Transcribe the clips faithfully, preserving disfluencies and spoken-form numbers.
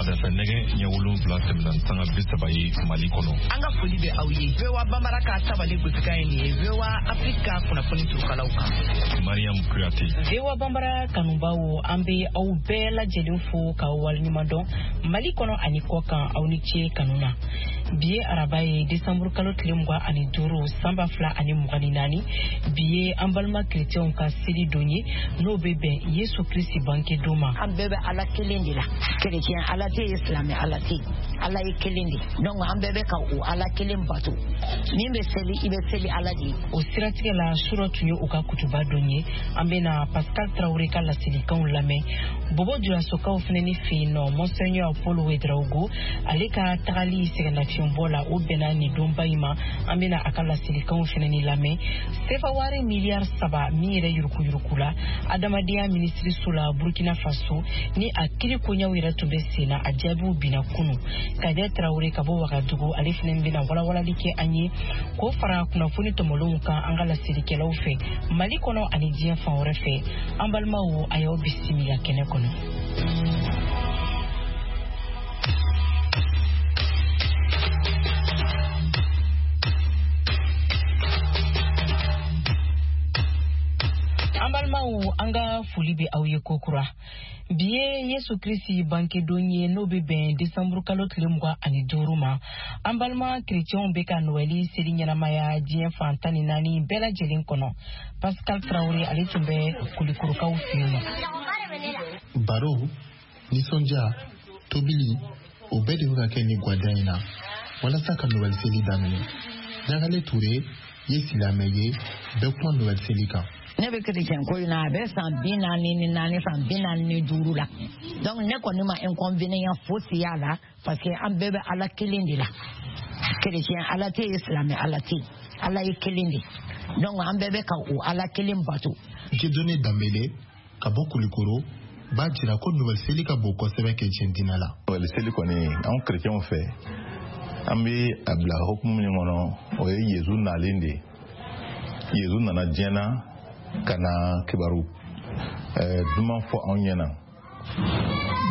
Sɔgɔmada fɛ nɛgɛ ɲɛ wolonwula tɛmɛna ni sanga bi saba ye Mali kɔnɔ. An ka foli bɛ aw ye. V O A Bambara ka tabale gosikan ye nin ye. V O A Afrique ka kunnafoni turukalaw kan. Mariam Kuyate. V O A Bambara kanubaw, an bɛ aw bɛɛ lajɛlen fo k'aw waleɲuman dɔn Mali kɔnɔ ani kɔkan, aw ni ce kanu na. Bi ye araba ye, desanburu kalo tile mugan ani duuru san ba fila ani mugan ni naani. Bi ye an balima kerecɛnw ka seli don ye, n'o bɛ bɛn Yesu Kirisi bange don ma. An bɛɛ bɛ Ala kelen de la. Kerecɛn Ala tɛ yen, silamɛ Ala tɛ yen. Ala ye kelen de. Donc an bɛɛ bɛ ka o Ala kelen bato. Min bɛ seli, i bɛ seli Ala de ye. O siratigɛ la, surɔ tun ye u ka kutuba don ye. An bɛna Pascal Traoré ka laselikanw lamɛn. Bobo Julasokaw fana ni fɛ yen nɔ, Monseigneur Paul Ouedraogo, ale ka tagali sɛgɛnnafiɲɛbɔ la, o bɛnna nin donba in ma. An bɛna a ka laselikanw fana ni lamɛn. Sefa wari miliyari saba min yɛrɛ yurukuyuruku la adamadenya minisiriso la Burkina Faso, ni a kiri koɲɛw yɛrɛ tun bɛ sen na, a jaabiw binna kunu. Kader Traoré ka bɔ Wagadugu, ale fana bɛna walawalali kɛ an ye k'o fara kunnafoni tɔmɔlenw kan an ka laselikɛlaw fɛ Mali kɔnɔ ani diɲɛ fan wɛrɛ fɛ. An balimaw, a y'aw bisimila kɛnɛ kɔnɔ. An balimaw, an ka foli bɛ aw ye kokura. Bi ye Yesu Kirisi bangedon ye, n'o bɛ bɛn desanburu kalo tile mugan ani duuru ma. An balima kerecɛnw bɛ ka Noɛli seli ɲɛnamaya diɲɛ fan tan ni naani bɛɛ lajɛlen kɔnɔ. Pascal Traoré, ale tun bɛ Kulikorokaw fɛ yen nɔ. Baro, nisɔndiya, tobili, o bɛɛ de bɛ ka kɛ nin gwada in na walasa ka Noɛli seli daminɛ. Ɲagale Ture ye silamɛ ye, bɛɛ kuma Noɛli seli kan. Ne bɛ kerecɛn ko in na, a bɛ san bi naani ni naani, san bi naani ni duuru la. Donc ne kɔni ma inconvénient fosi y'a la, parce que an bɛɛ bɛ Ala kelen de la. Kerecɛn Ala tɛ yen, silamɛ Ala tɛ yen. Ala ye kelen de. Donc an bɛɛ bɛ ka o Ala kelen bato. Dieudonné Danbele ka bɔ Kulikoro b'a jira ko Noɛl seli ka bon kosɛbɛ kerecɛn diinɛ la. Noɛl seli kɔni, anw kerecɛnw fɛ, an bɛ a bila hukumu min kɔnɔ, o ye Yezu nalen de ye. Yezu nana diɲɛ na ka na kibaru duman fɔ anw ɲɛna.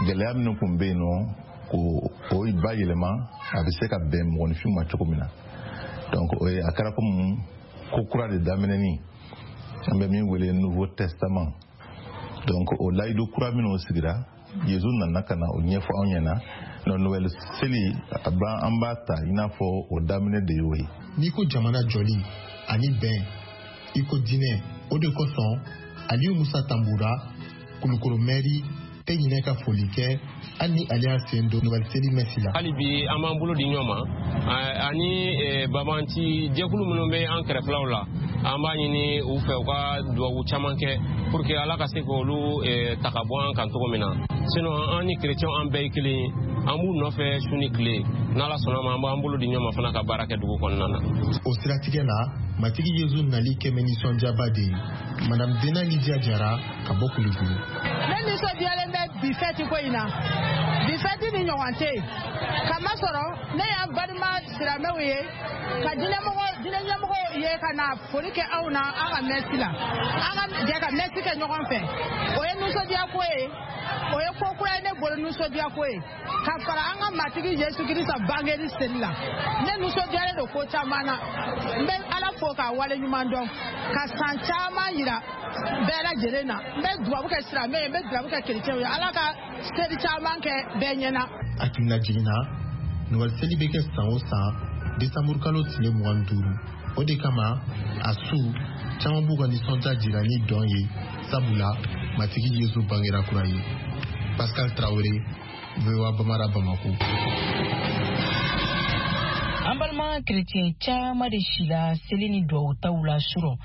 Gɛlɛya minnu tun bɛ yen nɔ, k'o o bayɛlɛma, a bɛ se ka bɛn mɔgɔninfinw ma cogo min na. Donc o ye a kɛra komi ko kura de daminɛni, an bɛ min wele Nouveau Testament. Donc o layidu kura minnu sigira, Yezu nana ka na o ɲɛfɔ anw ɲɛna. Noël seli, an b'a ta i n'a fɔ o daminɛ de y'o ye. N'i ko jamana jɔli ani bɛn, i ko diinɛ, o de kosɔn Aliyu Musa Tambura, Kulukoro mɛri, tɛ ɲinɛ ka foli kɛ hali ni ale y'a sen don Noël seli mɛsi la. Hali bi an b'an bolo di ɲɔgɔn ma, ani babanci jɛkulu minnu bɛ an kɛrɛfɛlaw la, an b'a ɲini u fɛ u ka duwawu caman kɛ pour que Ala ka se k'olu ta ka bɔ an kan cogo min na. Sinon an ni kerecɛnw an bɛɛ ye kelen ye, an b'u nɔfɛ su ni tile. N'Ala sɔnna ma, an b'an bolo di ɲɔgɔn ma fana ka baara kɛ dugu kɔnɔna na. O siratigɛ la, Matigi Yezu nali kɛmɛ nisɔndiyaba de ye. Madame Dena Lidia Jara ka bɔ Kulikoro. Ne nisɔndiyalen bɛ bi fɛti ko in na. Bi fɛti ni ɲɔgɔn tɛ yen. Kamasɔrɔ ne y'an balima silamɛw ye, ka diinɛmɔgɔ diinɛ ɲɛmɔgɔw ye ka na foli kɛ anw na an ka mɛsi la. An ka jɛ ka mɛsi kɛ ɲɔgɔn fɛ. O ye nisɔndiya ko ye. O ye ko kura ye ne bolo, nisɔndiya ko ye. Ka fara an ka Matigi Yesu Kirisa bangeli seli la. Ne nisɔndiyalen don ko caman na. N bɛ Ala fo k'a waleɲuman dɔn. Ka san caman yira bɛɛ lajɛlen na. N bɛ dubabu kɛ silamɛ ye, n bɛ dubabu kɛ kerecɛnw ye. Ala ka seli caman kɛ bɛɛ ɲɛna. Hakilina jiginna, Noël seli bɛ kɛ san o san desanburu kalo tile mugan ni duuru. O de kama a su caman b'u ka nisɔndiya jira ni dɔn ye, sabula Matigi Yesu bangera kura ye. Pascal Traoré, V O A Bamara, Bamako. An balima kerecɛn caman de sila seli ni duwawutaw la surɔ.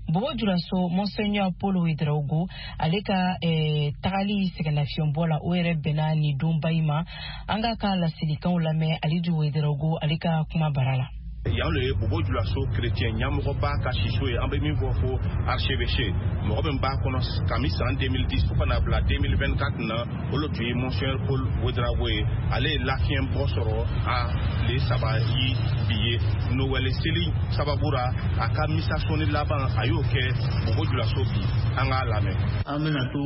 Bobo Julaso Monseigneur Paul Ouedraogo, ale ka eh, tagali sɛgɛnnafiɲɛbɔ la, o yɛrɛ bɛnna nin donba in ma. An k'a ka laselikanw lamɛn Alidu Ouedraogo, ale ka kuma bara la. Yan le ye Bobo Julaso chrétien ɲɛmɔgɔba ka siso ye, an bɛ min fɔ ko archevêché, mɔgɔ min b'a kɔnɔ kami san deux mille dix fo ka na bila deux mille vingt-quatre na, o le tun ye Monseigneur Paul Ouedraogo ye. Ale ye lafiɲɛ bɔ sɔrɔ a tile saba yi bi ye Noël seli sababu ra, a ka misa sɔnni laban a y'o kɛ Bobo Julaso bi. An k'a lamɛn. An bɛna to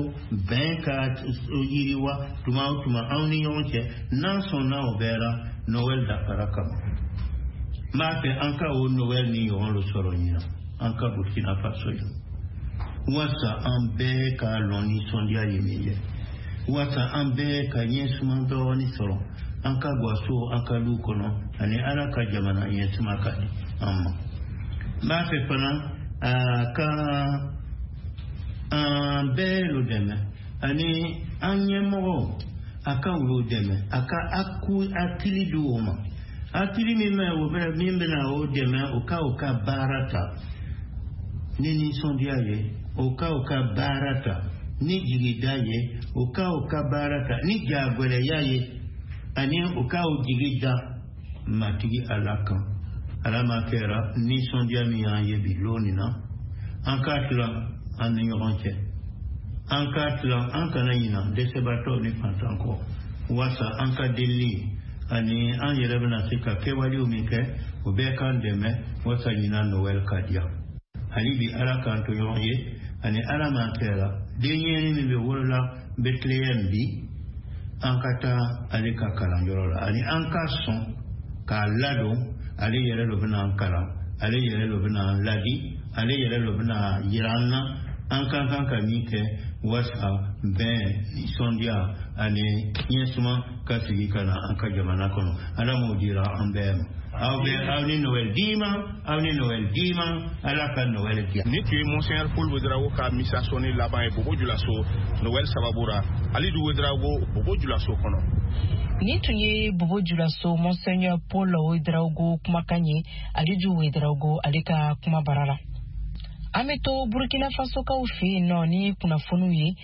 bɛn ka yiriwa tuma o tuma anw ni ɲɔgɔn cɛ, n'an sɔnna o bɛɛ la, Noël dafara kama. N b'a fɛ an ka o Noël ni ɲɔgɔn dɔ sɔrɔ ɲinan an ka Burkina Faso ye, walasa an bɛɛ ka lɔn nisɔndiya ye min ye, walasa an bɛɛ ka ɲɛsuma dɔɔni sɔrɔ an ka gaso an ka du kɔnɔ, ani Ala ka jamana ɲɛsuma ka di an ma. N b'a fɛ fana a ka an bɛɛ lo dɛmɛ, ani an ɲɛmɔgɔw a ka olu dɛmɛ, a ka hakili di o ma, hakili min bɛ o bɛ min bɛna o dɛmɛ o ka o ka baara ta ni nisɔndiya ye, o ka o ka baara ta ni jigida ye, o ka o ka baara ta ni jagɛlɛya ye, ani o ka o jigi da Matigi Ala kan. Ala ma kɛra nisɔndiya min y'an ye bi lon nin na, an k'a tila an ni ɲɔgɔn cɛ, an k'a tila, an kana ɲina dɛsɛbaatɔw ni fantan kɔ, walasa an ka delili ani an yɛrɛ bɛna se ka kɛwalew min kɛ, o bɛɛ k'an dɛmɛ walasa ɲinan Noël ka diya. Hali bi Ala k'an to ɲɔgɔn ye, ani Ala ma kɛra denyɛrɛnin min bɛ wolola Bethléem bi, an ka taa ale ka kalanyɔrɔ la, ani an ka sɔn k'a ladon, ale yɛrɛ de bɛna an kalan, ale yɛrɛ de bɛna an ladi, ale yɛrɛ de bɛna yira an na an ka kan ka min kɛ walasa bɛn, nisɔndiya ani ɲɛsuma ka sigi ka na an ka jamana kɔnɔ. Ala m'o dira an bɛɛ ma. Aw bɛ aw ni Noël d'i ma, aw ni Noël d'i ma, Ala ka Noël diya. Nin tun ye Monseigneur Paul Ouedraogo ka misa sɔnni laban ye Bobo Julaso Noël sababu ra. Alidu Ouedraogo, Bobo Julaso kɔnɔ. Nin tun ye Bobo Julaso Monseigneur Paul Ouedraogo kumakan ye, Alidu Ouedraogo ale ka kuma bara la. An bɛ to Burkina Fasokaw fɛ yen nɔ ni kunnafoniw ye.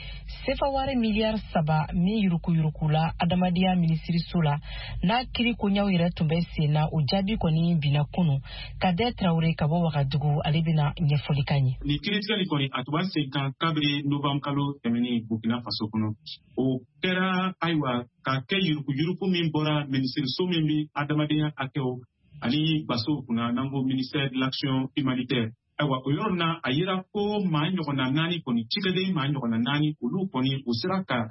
Sefa wari miliyari saba min yuruguyurugula adamadenya minisiriso la, n'a kiri koɲaw yɛrɛ tun bɛ sen na, o jaabi kɔni binna kunun. Kadɛ Tarawele ka bɔ Wagadugu, ale bɛna ɲɛfɔli k'an ye. Nin kiiritigɛli kɔni a tun b'a sen kan kabiri novembre kalo tɛmɛnen Burkina Faso kɔnɔ. O kɛra ayiwa ka kɛ yuruguyurugu min bɔra minisiriso min bɛ adamadenya hakɛw ani basow kunna, n'an ko ministère de l'action humanitaire. Ayiwa o yɔrɔ na a yira ko maa ɲɔgɔnna naani kɔni, cikɛden maa ɲɔgɔnna naani, olu kɔni u sera ka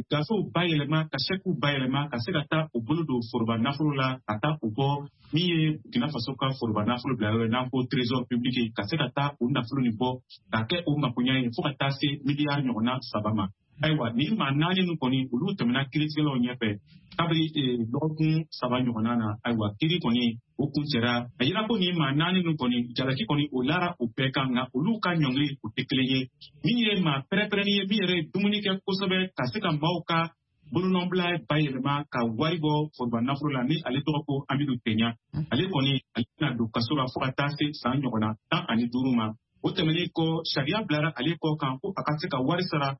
gafew bayɛlɛma, ka sɛkiw bayɛlɛma, ka se ka taa u bolo don foroba nafolo la, ka taa u bɔ min ye Burkina Faso ka foroba nafolo bila yɔrɔ ye n'an ko trésor public, ka se ka taa u nafolo nin bɔ ka kɛ u makoɲɛ ye fo ka taa se miliyari ɲɔgɔnna saba ma. Ayiwa nin maa naani ninnu kɔni olu tɛmɛna kiiritigɛlaw ɲɛfɛ kabiri dɔgɔkun saba ɲɔgɔnna na. Ayiwa kiiri kɔni o kuncɛra, a yira ko nin maa naani ninnu kɔni jalaki kɔni o lara o bɛɛ kan, nka olu ka ɲɔngiri o tɛ kelen ye. Min ye maa pɛrɛpɛrɛnni ye, min yɛrɛ ye dumuni kɛ kosɛbɛ ka se ka maaw ka bolonɔbila bayɛlɛma ka wari bɔ foroba nafolo la, ni ale tɔgɔ ko Amidu Tenya, ale kɔni ale bɛna don kaso la fo ka taa se san ɲɔgɔnna tan ani duuru ma. O tɛmɛnen kɔ, sariya bilara ale kɔ kan ko a ka se ka wari sara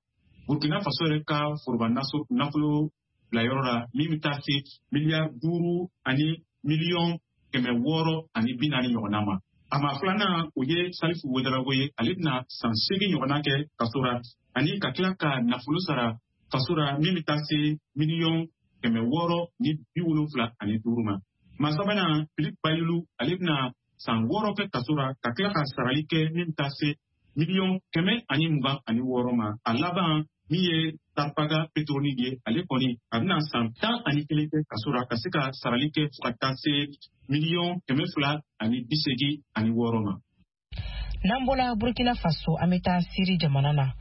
Burkina Faso yɛrɛ ka foroba nafolo bilayɔrɔ la, min bɛ taa se miliyari duuru ani miliyɔn kɛmɛ wɔɔrɔ ani bi naani ɲɔgɔnna ma. A maa filanan o ye Salifu Ouedraogo ye, ale bɛna san seegin ɲɔgɔnna kɛ kaso la, ani ka tila ka nafolo sara faso la min bɛ taa se miliyɔn kɛmɛ wɔɔrɔ ni bi wolonfila ani duuru ma. Maa sabanan Philippe Bayulu, ale bɛna san wɔɔrɔ kɛ kaso la, ka tila ka sarali kɛ min bɛ taa se miliyɔn kɛmɛ ani mugan ani wɔɔrɔ ma. A laban min ye Tarpaga Petroni ye, ale kɔni a bɛna san tan ani kelen kɛ kaso la, ka se ka sarali kɛ fo ka taa se miliyɔn kɛmɛ fila ani bi seegin ani wɔɔrɔ ma. N'an bɔra Burkina Faso, an bɛ taa Siri jamana na.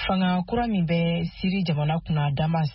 Fanga kura min bɛ Siri jamana kunna Damas,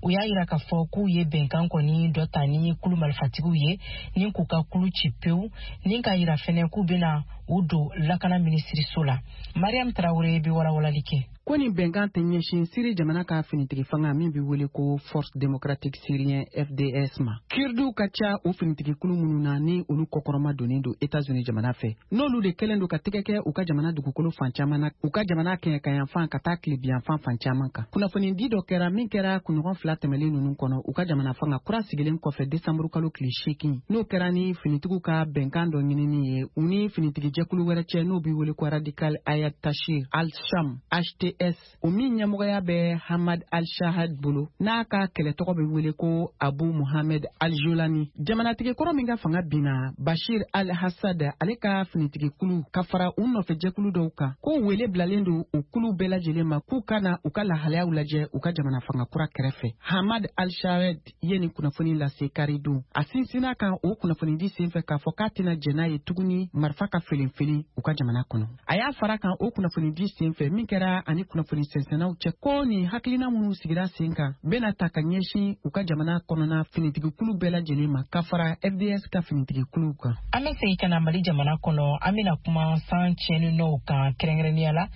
u y'a yira k'a fɔ k'u ye bɛnkan kɔni dɔ ta ni kulu marifatigiw ye ni k'u ka kulu ci pewu, ni k'a yira fɛnɛ k'u bɛna u don lakana minisiriso la. Mariam Tarawele bɛ walawalali kɛ. Ko nin bɛnkan tɛ ɲɛsin Siri jamana ka finitigi fanga min bɛ wele ko Force démocratique syrien F D S ma. Kurdiw ka ca o finitigi kulu minnu na ni olu kɔkɔrɔma donnen don États-Unis jamana fɛ. N'olu de kɛlen don ka tɛgɛ kɛ u ka jamana dugukolo fan caman na, u ka jamana kɛɲɛkayanfan ka taa tilebiyanfan fan caman kan. Kunnafonidi dɔ kɛra min kɛra kunɲɔgɔn fila tɛmɛlen ninnu kɔnɔ u ka jamana fanga kura sigilen kɔfɛ desanburu kalo tile seegin. N'o kɛra ni finitigiw ka bɛnkan dɔ ɲinini ye u ni finitigi jɛkulu wɛrɛ cɛ n'o bɛ wele ko Radical Hayat Tahrir al-Sham H T S, o min ɲɛmɔgɔya bɛ Hamad al-Shahad bolo n'a ka kɛlɛ tɔgɔ bɛ wele ko Abu Muhammad al-Jolani. Jamanatigi kɔrɔ min ka fanga binna Bashir al-Assad ale ka finitigi kulu ka fara u nɔfɛ jɛkulu dɔw kan ko wele bilalen don u kulu bɛɛ lajɛlen ma k'u ka na u ka lahalayaw lajɛ u ka jamana fanga kura kɛrɛfɛ. Hamad al-Shahad ye nin kunnafoni lase karidon. A sinsinna kan o kunnafonidi senfɛ k'a fɔ k'a tɛna jɛn n'a ye tuguni marifa ka felenfelen u ka jamana kɔnɔ. A y'a fara kan o kunnafonidi senfɛ min kɛra ani kunnafoni sɛnsɛnnaw cɛ ko nin hakilina minnu sigira sen kan bɛna ta ka ɲɛsin u ka jamana kɔnɔna finitigikulu bɛɛ lajɛlen ma ka fara F D S ka finitigikuluw kan. An bɛ segin ka na Mali jamana kɔnɔ, an bɛna kuma san tiɲɛninɔw kan kɛrɛnkɛrɛnnenya la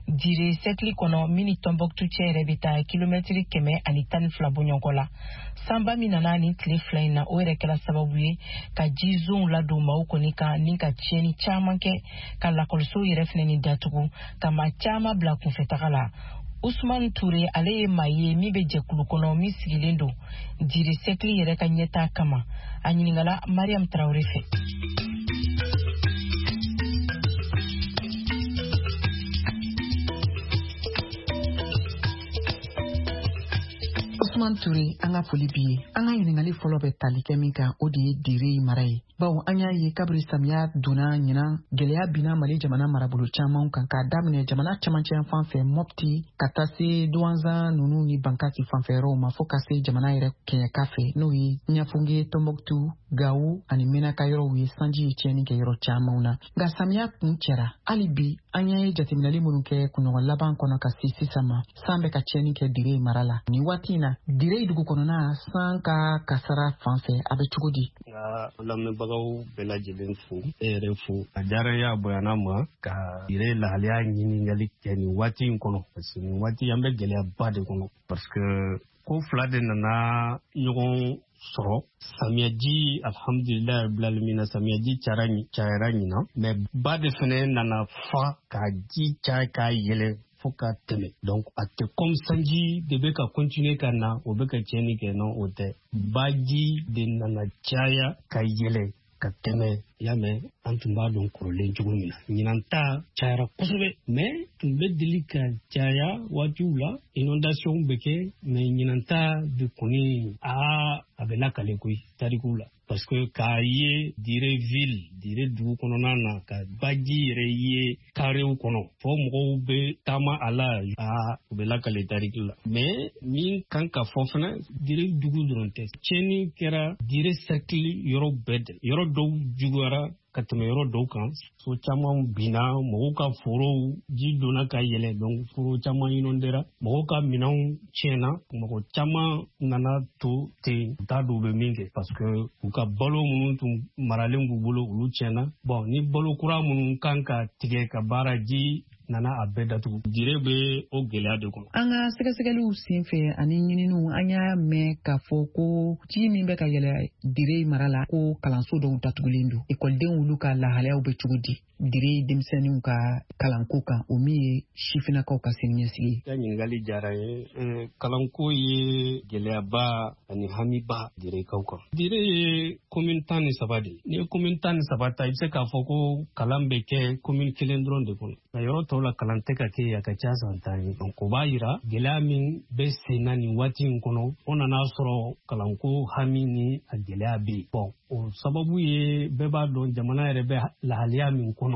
Dire sɛkili kɔnɔ min ni Tɔnbɔkutu cɛ yɛrɛ bɛ taa kilomɛtiri kɛmɛ ani tan ni fila bɔɲɔgɔn la. Sanba min nana nin tile fila in na, o yɛrɛ kɛra sababu ye ka jizonw ladon maaw kɔni kan ni ka tiɲɛni caman kɛ, ka lakɔlisow yɛrɛ fɛnɛ ni datugu, ka maa caman bila kunfɛtaga la. Usman Ture ale ye maa ye min bɛ jɛkulu kɔnɔ min sigilen don Dire sɛkili yɛrɛ ka ɲɛtaa kama. A ɲininkala Mariam Traoré fɛ. Usman Ture, an ka foli b'i ye. An ka ɲininkali fɔlɔ bɛ tali kɛ min kan, o de ye Dire mara ye. Bawo an y'a ye kabiri samiya donna ɲinan, gɛlɛya binna Mali jamana marabolo caman kan k'a daminɛ jamana camancɛ fan fɛ Mopti ka taa se Douentza ninnu ni Bankasi fanfɛ yɔrɔw ma fo ka se jamana yɛrɛ kɛɲɛka fɛ n'o ye Ɲafunge, Tɔnbɔkutu, Gawo ani Menaka yɔrɔw ye. Sanji ye tiɲɛni kɛ yɔrɔ camanw na. Nka samiya kun cɛra. Hali bi an y'a ye jateminɛli minnu kɛ kunɲɔgɔn laban kɔnɔ ka se sisan ma, san bɛ ka tiɲɛni kɛ Dire mara la. Nin waati in na Dire dugu kɔnɔna san ka kasara fan fɛ a bɛ cogo di? Nka lamɛnbagaw bɛɛ lajɛlen fo, e yɛrɛ fo. A diyara n ye, a bonyana ma ka Dire lahalaya ɲininkali kɛ nin waati in kɔnɔ, parce que nin waati an bɛ gɛlɛyaba de kɔnɔ, parce que ko fila de nana ɲɔgɔn sɔrɔ. Samiyaji, alhamdulilayi rabbil alamin, samiyaji cayara cayara ɲinan, mais ba de fɛnɛ nana fa ka ji caya k'a yɛlɛ fo ka tɛmɛ. Donc a tɛ comme sanji de bɛ ka continuer ka na o bɛ ka tiɲɛni kɛ, non, o tɛ. Baji de nana caya ka yɛlɛ ka tɛmɛ. Y'a mɛn, an tun b'a dɔn kɔrɔlen cogo min na, ɲinan ta cayara kosɛbɛ, mais tun bɛ deli ka caya waatiw la, inondation bɛ kɛ, mais ɲinan ta de kɔni aa a bɛ lakale koyi tarikuw la. Parce que k'a ye Dire ville, Dire dugu kɔnɔna na, ka baji yɛrɛ ye karew kɔnɔ fo mɔgɔw bɛ taama a la, aa u bɛ lakale tariki la. Mais min kan ka fɔ fana, Dire dugu dɔrɔn tɛ, tiɲɛni kɛra Dire cercle yɔrɔ bɛɛ de, yɔrɔ dɔw juguyara ka tɛmɛ yɔrɔ dɔw kan. So caman binna, mɔgɔw ka forow ji donna ka yɛlɛ, donc foro caman inondera, mɔgɔw ka minɛnw tiɲɛna, mɔgɔ caman nana to ten, u t'a dɔn u bɛ min kɛ, parce que u ka balo minnu tun maralen b'u bolo olu tiɲɛna. Bon, ni balo kura minnu kan ka tigɛ ka baara, ji nana a bɛɛ datugu. Dire bɛ o gɛlɛya de kɔnɔ. An ka sɛgɛsɛgɛliw senfɛ ani ɲininiw, an y'a mɛn k'a fɔ ko ji min bɛ ka yɛlɛ Dire mara la, ko kalanso dɔw datugulen don. Ekɔlidenw olu ka lahalayaw bɛ cogo di Dire denmisɛnninw ka kalanko kan, o min ye sifinnakaw ka siniɲɛsigi ye? I ka ɲininkali diyara n ye. Kalanko ye gɛlɛyaba ani hamiba Direkaw kan. Dire ye commune tan ni saba de ye. N'i ye commune tan ni saba ta, i bɛ se k'a fɔ ko kalan bɛ kɛ commune kelen dɔrɔn de kɔnɔ. Nka yɔrɔ tɔw la kalan tɛ ka kɛ, a ka ca san tan ye. Donc o b'a yira gɛlɛya min bɛ sen na nin waati in kɔnɔ, o nana sɔrɔ kalanko hami ni a gɛlɛya bɛ yen. Bon, o sababu ye bɛɛ b'a dɔn jamana yɛrɛ bɛ lahalaya min kɔnɔ,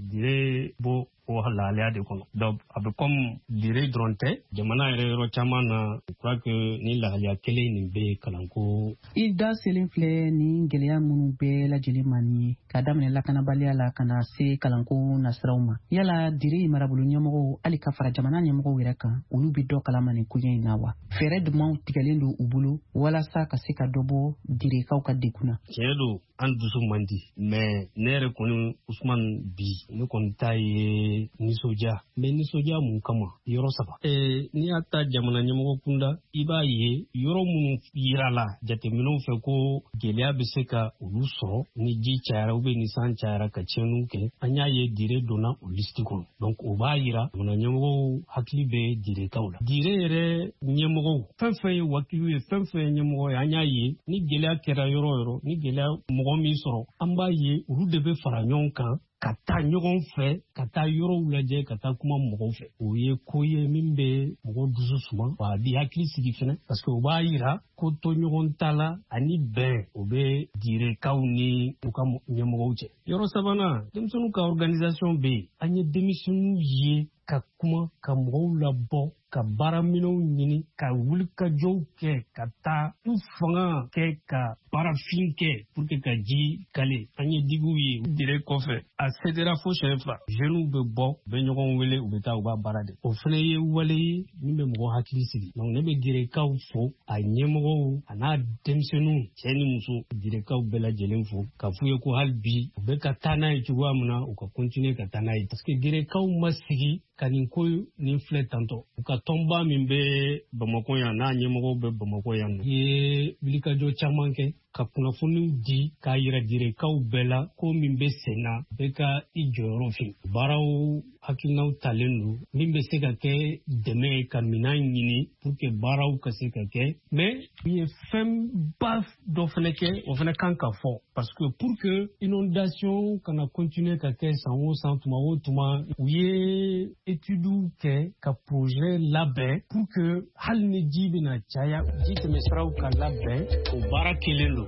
Dire b'o o lahalaya de kɔnɔ. Donc a bɛ comme Dire dɔrɔn tɛ, jamana yɛrɛ yɔrɔ caman na, je crois que ni lahalaya kelen nin bɛ kalanko. I da selen filɛ nin gɛlɛya minnu bɛɛ lajɛlen ma nin ye, k'a daminɛ lakanabaliya la ka na se kalanko nasiraw ma, yala Dire marabolo ɲɛmɔgɔw hali ka fara jamana ɲɛmɔgɔw yɛrɛ kan, olu bɛ dɔ kalama nin koɲɛ in na wa? Fɛɛrɛ jumɛnw tigɛlen don u bolo walasa ka se ka dɔ bɔ Direkaw ka degun na? Tiɲɛ don, an dusu man di, mais ne yɛrɛ kɔni Usman bi, ne kɔni ta ye bɛ nisɔndiya. N bɛ nisɔndiya mun kama? Yɔrɔ saba. Ee, n'i y'a ta jamana ɲɛmɔgɔ kunda, i b'a ye yɔrɔ minnu yirala jateminɛw fɛ ko gɛlɛya bɛ se ka olu sɔrɔ ni ji cayara ou bien ni san cayara ka tiɲɛniw kɛ, an y'a ye Dire donna o liste kɔnɔ. Donc o b'a yira jamana ɲɛmɔgɔw hakili bɛ Direkaw la. Dire yɛrɛ ɲɛmɔgɔw, fɛn fɛn ye wakilu ye, fɛn fɛn ye ɲɛmɔgɔ ye, an y'a ye ni gɛlɛya kɛra yɔrɔ o yɔrɔ, ni gɛlɛya mɔgɔ min sɔrɔ, an b'a ye olu de bɛ fara ɲɔgɔn kan ka taa ɲɔgɔn fɛ, ka taa yɔrɔw lajɛ, ka taa kuma mɔgɔw fɛ. O ye ko ye min bɛ mɔgɔw dusu suma, wa a b'i hakili sigi fɛnɛ, parce que o b'a yira ko to ɲɔgɔn ta la ani bɛn o bɛ Direkaw ni u ka ɲɛmɔgɔw cɛ. Yɔrɔ sabanan, denmisɛnninw ka organisation bɛ yen. An ye denmisɛnninw ye ka kuma, ka mɔgɔw labɔ, ka baaraminɛnw ɲini, ka wulikajɔw kɛ, ka taa u fanga kɛ, ka baarafin kɛ pour que ka ji kale. An ye digiw ye Dire kɔfɛ, a cédera fo siɲɛ fila. Jeunes bɛ bɔ, u bɛ ɲɔgɔn wele, u bɛ taa u b'a baara de. O fana ye wale ye min bɛ mɔgɔ hakili sigi. Donc ne bɛ Direkaw fo, a ɲɛmɔgɔw a n'a denmisɛnninw, cɛ ni muso, Direkaw bɛɛ lajɛlen fo, k'a f'u ye ko hali bi u bɛ ka taa n'a ye cogoya min na, u ka continuer ka taa n'a ye, parce que Direkaw ma sigi ka nin ko nin filɛ tantɔ. U ka tɔnba min bɛ Bamakɔ yan, n'a ɲɛmɔgɔw bɛ Bamakɔ yan nɔ, ye wulikajɔ caman kɛ ka kunnafoniw di k'a yira Direkaw bɛɛ la ko min bɛ sen na, bɛɛ ka i jɔyɔrɔ fin. Baaraw hakilinaw talen don min bɛ se ka kɛ dɛmɛ ye ka minɛn ɲini pour que baaraw ka se ka kɛ. Mais u ye fɛnba dɔ fɛnɛ kɛ, o fɛnɛ kan ka fɔ, parce que pour que inondation kana continuer ka kɛ san o san, tuma o tuma, u ye études kɛ ka projet labɛn pour que hali ni ji bɛna caya, ji tɛmɛsiraw ka labɛn. O baara kelen don.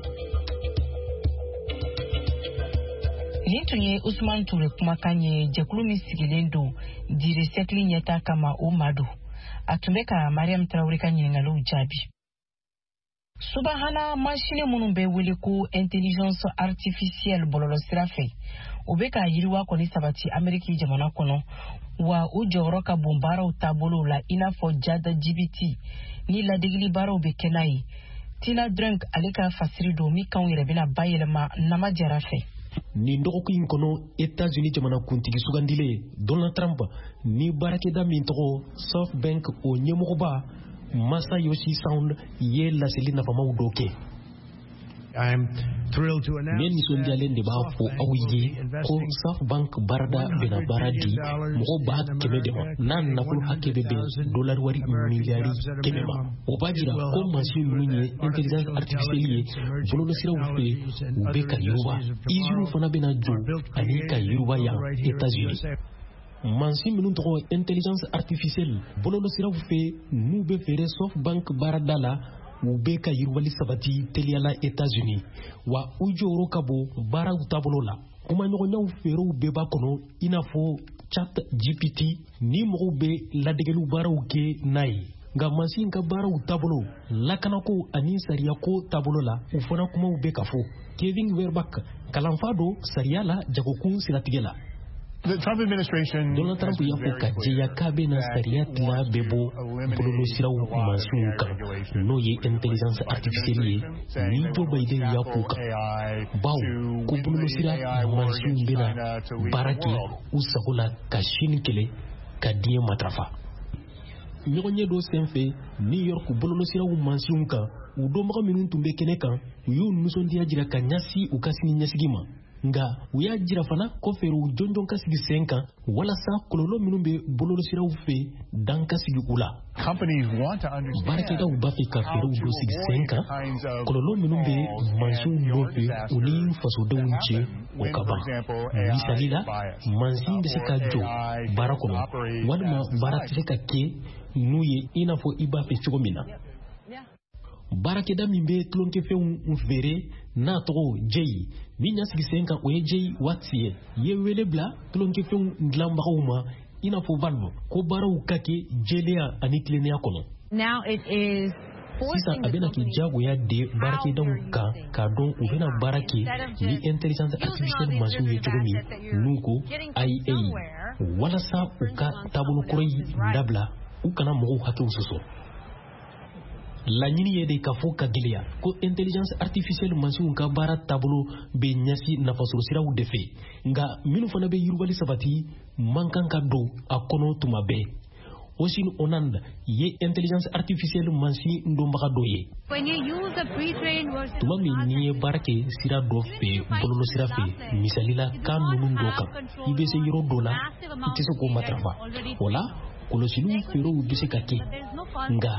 Nin tun ye Usman Ture kumakan ye, jɛkulu min sigilen don Dire sɛkili ɲɛta kama, o ma don. A tun bɛ ka Mariam Traoré ka ɲininkaliw jaabi. Subahana masini minnu bɛ wele ko intelligence artificielle bɔlɔlɔsira fɛ, o bɛ ka yiriwa kɔni sabati Ameriki jamana kɔnɔ, wa u jɔyɔrɔ ka bon baaraw taabolow la, i n'a fɔ ChatGPT ni ladegeli baaraw bɛ kɛ n'a ye. Tina Drunk ale ka fasiri don min kanw yɛrɛ bɛna bayɛlɛma Nama Jara fɛ. Nin dɔgɔkun in kɔnɔ, Etats-Unis jamanakuntigi sugandilen Donald Trump ni baarakɛda min tɔgɔ SoftBank, o ɲɛmɔgɔba Masayoshi Son ye laseli nafamaw dɔ kɛ. Ne nisɔndiyalen de b'a fɔ aw ye ko SoftBank baarada bɛna baara di mɔgɔ ba kɛmɛ de ma, n'a nafolo hakɛ bɛ bɛn dolari wari miliyari kɛmɛ ma. O b'a jira ko mansin ninnu ye intelligence artificielle ye bɔlɔlɔsiraw fɛ, u bɛ ka yiriwa. Usines fana bɛna jɔ ani ka yiriwa yan Etats-Unis. Mansin minnu tɔgɔ intelligence artificielle bɔlɔlɔsiraw fɛ, n'u bɛ feere SoftBank baarada la, u bɛ ka yiriwali sabati teliyala Etats-Unis, wa u jɔyɔrɔ ka bon baaraw taabolo la. Kumaɲɔgɔnyaw feerew bɛɛ b'a kɔnɔ, i n'a fɔ Chat G P T ni mɔgɔw bɛ ladegeliw baaraw kɛ n'a ye. Nka mansin ka baaraw taabolo, lakanako ani sariyako taabolo la, u fana kumaw bɛ ka fɔ. Kevin Werbach, kalanfa don sariya la jagokun siratigɛ la. Donald Trump y'a fɔ ka jɛya k'a bɛna sariya tila bɛɛ bɔ bɔlɔlɔsiraw mansinw kan, n'o ye intelligence artificielle ye, ni Joe Biden y'a k'u kan, bawo ko bɔlɔlɔsira mansinw bɛna baara kɛ u sago la ka Chine kɛlɛ ka diɲɛ matarafa. Ɲɔgɔnye dɔ senfɛ New York bɔlɔlɔsiraw mansinw kan, u dɔnbaga minnu tun bɛ kɛnɛ kan, u y'u nisɔndiya jira ka ɲɛsin u ka sini ɲɛsigi ma. Nka u y'a jira fana ko fɛɛrɛw jɔnjɔn ka sigi sen kan walasa kɔlɔlɔ minnu bɛ bɔlɔlɔsiraw fɛ, dan ka sigi u la. Baarakɛdaw b'a fɛ ka fɛɛrɛw dɔ sigi sen kan, kɔlɔlɔ minnu bɛ mansinw nɔfɛ u ni fasodenw cɛ, o ka ban. Misali la, mansin bɛ se ka jɔ baara kɔnɔ, walima baara tɛ se ka kɛ n'u ye i n'a fɔ i b'a fɛ cogo min na. Baarakɛda min bɛ tulonkɛfɛnw feere n'a tɔgɔ Jay, min y'a sigi sen kan, o ye Jay Watts ye, ye wele bila tulonkɛfɛnw dilanbagaw ma, i n'a fɔ Valve, ko baaraw ka kɛ jɛlenya ani tilennenya kɔnɔ. Sisan a bɛna kɛ diyagoya de baarakɛdaw kan k'a dɔn u bɛna baara kɛ ni intelligence artificielle mansinw ye cogo min, n'u ko I A, walasa u ka taabolo kɔrɔ in dabila, u kana mɔgɔw hakɛw sɔsɔ. Laɲini ye de k'a fɔ ka gɛlɛya ko intelligence artificielle mansinw ka baara taabolo bɛ ɲɛsin nafasɔrɔsiraw de fɛ, nka minnu fana bɛ yiriwali sabati man kan ka don a kɔnɔ tuma bɛɛ. Osin Onand ye intelligence artificielle mansin dɔnbaga dɔ ye. Tuma min n'i ye baara kɛ sira dɔ fɛ bɔlɔlɔsira fɛ, misali la kan ninnu dɔ kan, i bɛ se yɔrɔ dɔ la i tɛ se k'o matarafa. O la kɔlɔsiliw feerew bɛ se ka kɛ, nka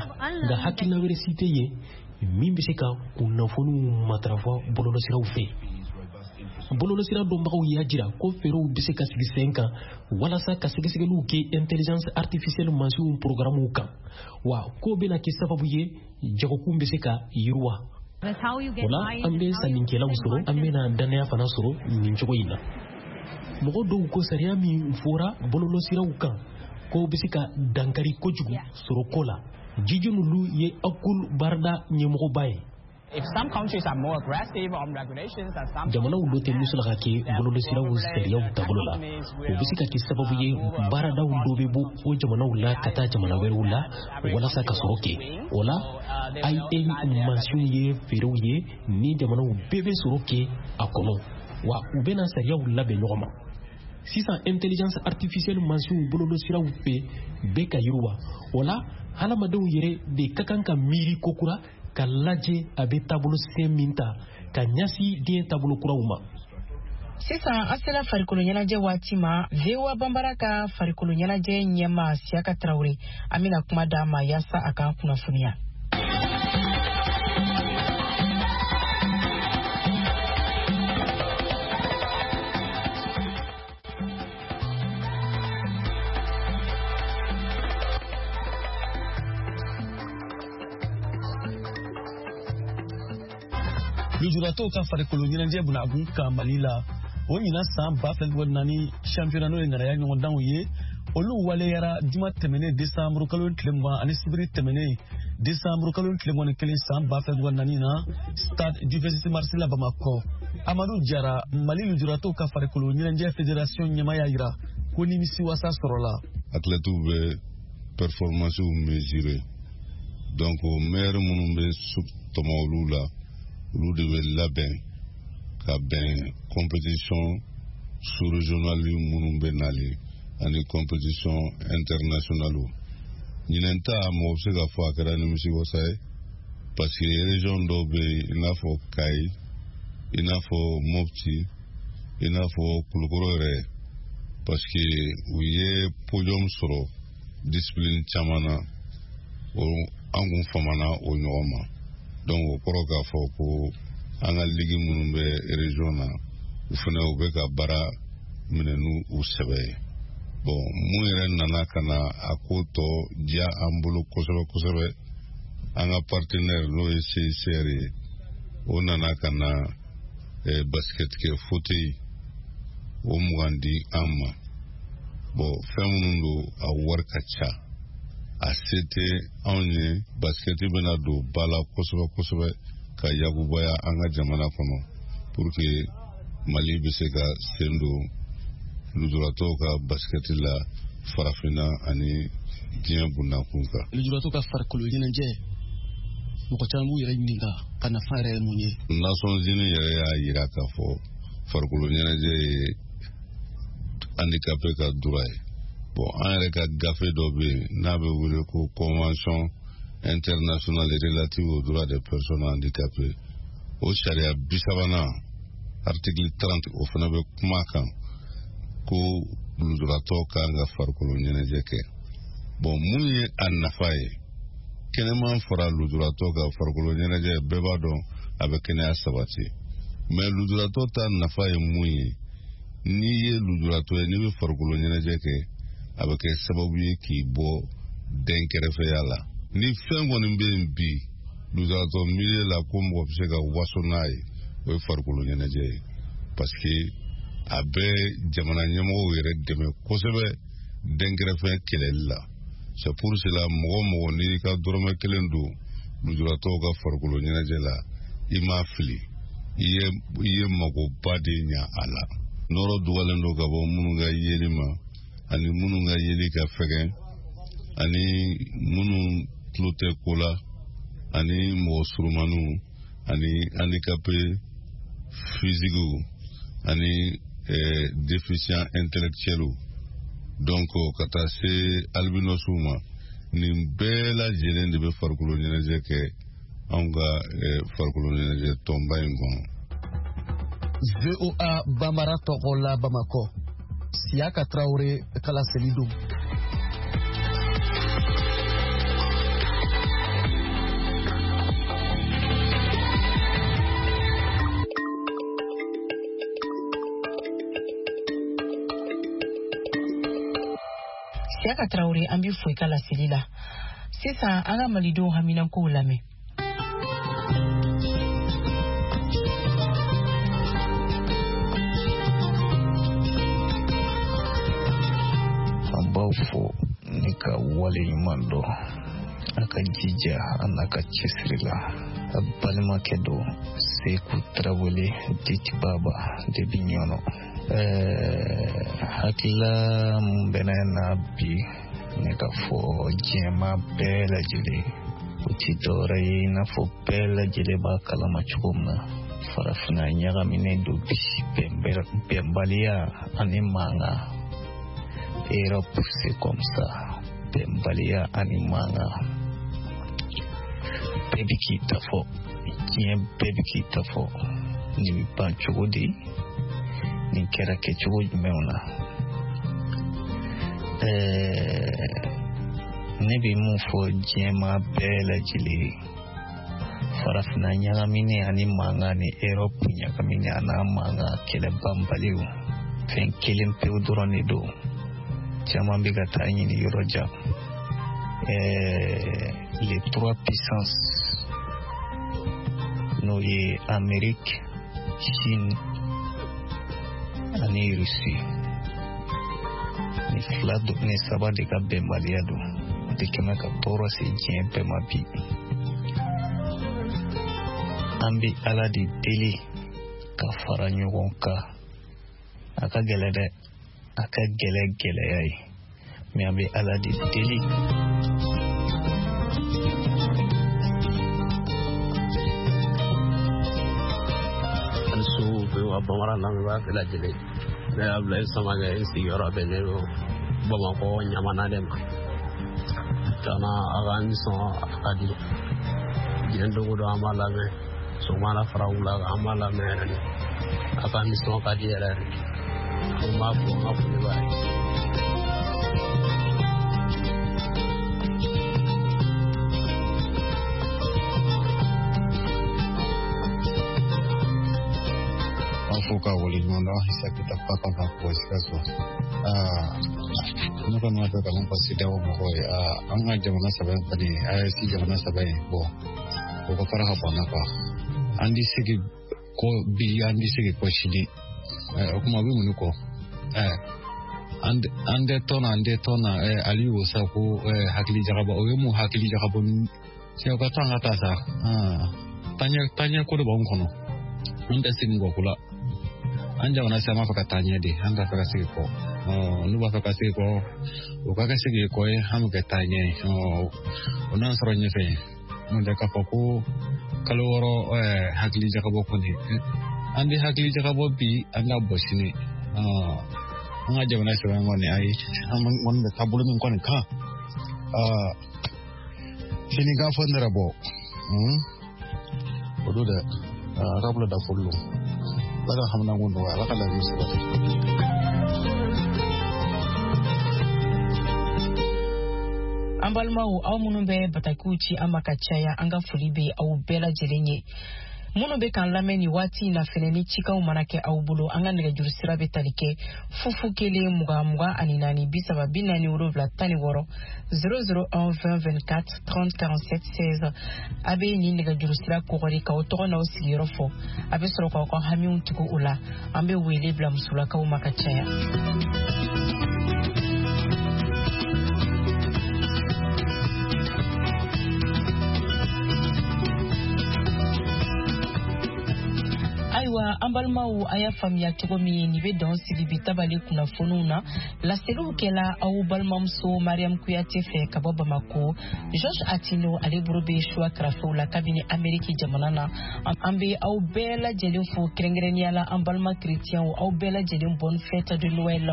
nka hakilina wɛrɛ si tɛ yen min bɛ se ka kunnafoniw matarafa bɔlɔlɔsiraw fɛ. Bɔlɔlɔsira dɔnbagaw y'a jira ko feerew bɛ se ka sigi sen kan walasa ka sɛgɛsɛgɛliw kɛ intelligence artificielle mansinw programmew kan, wa k'o bɛna kɛ sababu ye jagokun bɛ se ka yiriwa. O la an bɛ sannikɛlaw sɔrɔ, an bɛna dannaya fana sɔrɔ nin cogo in na. Mɔgɔ dɔw ko sariya min fɔra bɔlɔlɔsiraw kan k'o bɛ se ka dankari kojugu sɔrɔ ko la. Jijunulu ye Akul baarada ɲɛmɔgɔba ye. Jamanaw dɔ tɛ musolaka kɛ bɔlɔlɔsiraw sariyaw taabolo la. O bɛ se ka kɛ sababu ye baaradaw dɔ bɛ bɔ o jamanaw la ka taa jamana wɛrɛw la walasa ka sɔrɔ kɛ. O la I A mansinw ye feerew ye ni jamanaw bɛɛ bɛ sɔrɔ kɛ a kɔnɔ, wa u bɛna sariyaw labɛn ɲɔgɔn ma. Sisan intelligence artificielle mansinw bɔlɔlɔsiraw fɛ bɛɛ ka yiriwa. O la hadamadenw yɛrɛ de ka kan ka miiri kokura ka lajɛ a bɛ taabolo sen min ta ka ɲɛsin diɲɛ taabolo kuraw ma. Sisan an sera farikolo ɲɛnajɛ waati ma. V O A Banbara ka farikolo ɲɛnajɛ ɲɛmaa Siyaka Tarawele, an bɛna kuma d'a ma yaasa a k'an kunnafoniya. Lujuratɔw ka farikolo ɲɛnajɛ bunakun kan Mali la, o ɲinan san ba fila ni naani championnat n'o ye ŋanaya ɲɔgɔndanw ye, olu waleyara juma tɛmɛnen décembre kalo tile mugan ani sibiri tɛmɛnen décembre kalo tile mugan ni kelen san ba fila ni naani na stade du vingt-six mars la Bamakɔ. Amadu Jara, Mali lujuratɔw ka farikolo ɲɛnajɛ fédération ɲɛmaa y'a jira ko nimisiwasa sɔrɔla. Athlètes bɛ performance mesurer, donc meilleur minnu bɛ tɔmɔ olu la, olu de bɛ labɛn ka bɛn compétition sous-régionale minnu bɛ nalen ani compétition internationale. Ɲinɛn ta mɔgɔ bɛ se k'a fɔ a kɛra nimisiwasa ye parce que région dɔw bɛ yen i n'a fɔ Kayi, i n'a fɔ Mopti, i n'a fɔ Kulukɔrɔ yɛrɛ, parce que u ye podium sɔrɔ discipline caman na, o an kun famana o ɲɔgɔn ma. Donc o kɔrɔ k'a fɔ ko an ka ligue minnu bɛ région na, u fana u bɛ ka baara minɛ n'u u sɛbɛ ye. Bon, mun yɛrɛ nana ka na a ko tɔ diya an bolo kosɛbɛ kosɛbɛ, an ka partenaire n'o ye C I C R ye, o nana ka na eh, basket kɛ fauteuil o mugan di an ma. Bon, fɛn minnu don a wari ka ca, a se tɛ anw ye. Basikɛti bɛna don ba la kosɛbɛ kosɛbɛ ka yakubaya an ka jamana kɔnɔ pour que Mali bɛ se ka sen don lujuratɔw ka basikɛti la farafinna ani diɲɛ bundakun kan. Lujuratɔw ka farikolo ɲɛnajɛ, mɔgɔ caman b'u yɛrɛ ɲininka ka nafa yɛrɛ ye mun ye. Nations Unies yɛrɛ y'a jira k'a fɔ farikolo ɲɛnajɛ ye handicapé ka droit ye. Bon, an yɛrɛ ka gafe dɔ bɛ yen n'a bɛ wele ko convention internationale relative aux droits des personnes handicapées, o sariya bi sabanan article trente o fana bɛ kuma kan ko lujuratɔ kan ka farikolo ɲɛnajɛ kɛ. Bon, mun ye a nafa ye? Kɛnɛman fara lujuratɔ ka farikolo ɲɛnajɛ, bɛɛ b'a dɔn a bɛ kɛnɛya sabati, mais lujuratɔ ta nafa ye mun ye? N'i ye lujuratɔ ye, n'i bɛ farikolo ɲɛnajɛ kɛ, a bɛ kɛ sababu ye k'i bɔ dɛnkɛrɛfɛya la. Ni fɛn kɔni bɛ yen bi lujuratɔ milieu la ko mɔgɔ bɛ se ka waso n'a ye, o ye farikolo ɲɛnajɛ ye, parce que a bɛ jamana ɲɛmɔgɔw yɛrɛ dɛmɛ kosɛbɛ dɛnkɛrɛfɛ kɛlɛli la. C'est pour cela mɔgɔ mɔgɔ n'i ka dɔrɔmɛ kelen don lujuratɔw ka farikolo ɲɛnajɛ la, i m'a fili, i ye i ye magoba de ɲa a la. Nɔrɔ dugalen don ka bɔ minnu ka yeli ma, ani minnu ka yeli ka fɛgɛn, ani minnu tulo tɛ ko la, ani mɔgɔ surumaniw ani handicapé physiquew ani eh, déficient intellectuelw, donc ka taa se albinosw ma. Nin bɛɛ lajɛlen de bɛ farikolo ɲɛnajɛ kɛ anw ka eh, farikolo ɲɛnajɛ tɔnba in kɔnɔ. V O A Bambara tɔgɔ la Bamakɔ, Siyaka Traoré ka laseli don. Siyaka Traoré, an b'i fo i ka laseli la. Sisan an ka malidenw haminankow lamɛn. An b'aw fo ni ka wale ɲuman dɔn a ka jija a n'a ka cɛsiri la. A balimakɛ don Seku Tarawele dit Baba de bi Ɲɔnɔ. Ɛɛ hakilila mun bɛ ne na bi ne ka fɔ diɲɛmaa bɛɛ lajɛlen, o ti dɔwɛrɛ ye i n'a fɔ bɛɛ lajɛlen b'a kalama cogo min na, farafinna ɲagaminen don bi, bɛnbaliya ani mankan. Europe c'est comme ça, bɛnbaliya ani mankan, bɛɛ bi k'i ta fɔ, diɲɛ bɛɛ bi k'i ta fɔ. Nin bɛ ban cogo di? Nin kɛra kɛcogo jumɛnw na? Ɛɛ ne bɛ mun fɔ diɲɛmaa bɛɛ lajɛlen ye, farafinna ɲagaminen ani mankan ni Europe ɲagaminen a n'a mankan kɛlɛ banbaliw, fɛn kelen pewu dɔrɔn de don. Caman bɛ ka taa ɲini yɔrɔ jan. Ɛɛ les trois puissances, n'o ye Amérique, Chine ani Russie, ni fila ni saba de ka bɛnbaliya don de kɛmɛ ka tɔɔrɔ se diɲɛ bɛɛ ma bi. An bɛ Ala de deli ka fara ɲɔgɔn kan. A ka gɛlɛn dɛ, a ka gɛlɛn gɛlɛya ye, mɛ an bɛ Ala de deli. Su V O A Bambara lamɛnbaa bɛɛ lajɛlen, ne y'a bila i Samakɛ, n sigiyɔrɔ bɛnnen don Bamakɔ Ɲamana de ma. Tiɲɛna a ka nisɔn a ka di, diɲɛ don o don an b'a lamɛn, sɔgɔma fara wula kan an b'a lamɛn yɛrɛ de, a ka nisɔn ka di yɛrɛ de. An b'a fɔ an ka foli b'a ye. Fo ka waleɲuman dɔn Isa Kita Papa ka bɔ Sikaso. Ne kɔni b'a fɛ ka mun fɔ CEDEAO mɔgɔw ye, an ka jamana saba in kɔni, A E S jamana saba in, bɔn o ka fara ka bɔ an na kuwa. An ti segin kɔ bi, an ti segin kɔ sini. O kuma o bɛ mun kɔ? An tɛ tɔn na, an tɛ tɔn na. Aliyu ko sa ko hakili jagabɔ, o ye mun hakili jagabɔ? O ka to an ka taa sa. Taaɲɛ taaɲɛ ko de b'anw kɔnɔ. An tɛ segin kɔ ko la. An jamana sisan b'a fɛ ka taa ɲɛ de, an t'a fɛ ka segin kɔ. N'u b'a fɛ ka segin kɔ, o ka kɛ segin kɔ ye, an bɛ kɛ taa ɲɛ ye. O n'an sɔrɔ ɲɛfɛ. N'o tɛ k'a fɔ ko kalo wɔɔrɔ hakili jagabɔ kɔni, an tɛ hakili jagabɔ bi, an ka bɔ sini. An ka jamana sɛbɛn kɔni, ayi, an kɔni bɛ taabolo min kɔni kan, sini k'a fɔ ne yɛrɛ bɔ o don dɛ, a ka bolo da foli don. Ala ka haminanko nɔgɔya, Ala ka laɲini sabati. An balimaw, aw minnu bɛ batakiw ci an ma ka caya, an ka foli bɛ aw bɛɛ lajɛlen ye. Minnu bɛ k'an lamɛn nin waati in na fɛnɛ, ni cikanw mana kɛ aw bolo, an ka nɛgɛjuru sira bɛ tali kɛ fufu kelen mugan mugan ani naani bi saba bi naani wolonwula tan ni wɔɔrɔ zéro zéro un vingt vingt-quatre trente quarante-sept seize. A bɛ nin nɛgɛjuru sira kɔgɔri k'aw tɔgɔ n'aw sigiyɔrɔ fɔ, a bɛ sɔrɔ k'aw ka hamiw tugu o la. An bɛ wele bila musolakaw ma ka caya. Ayiwa, an balimaw, a y'a faamuya cogo min, nin bɛ dan sigi bi tabali kunnafoniw na. Laseliw kɛla aw balimamuso Mariam Kuyate fɛ ka bɔ Bamako. Georges Atino, ale bolo bɛ suwa karafew la kabini Ameriki jamana na. An bɛ aw bɛɛ lajɛlen fo, kɛrɛnkɛrɛnnenya la an balima kerecɛnw, aw bɛɛ lajɛlen, bonne fête de Noël.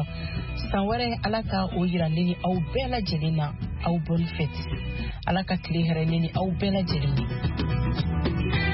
San wɛrɛ, Ala ka o yira ne ni aw bɛɛ lajɛlen na. Aw bonne fête, Ala ka tile hɛrɛ ne ni aw bɛɛ lajɛlen ye.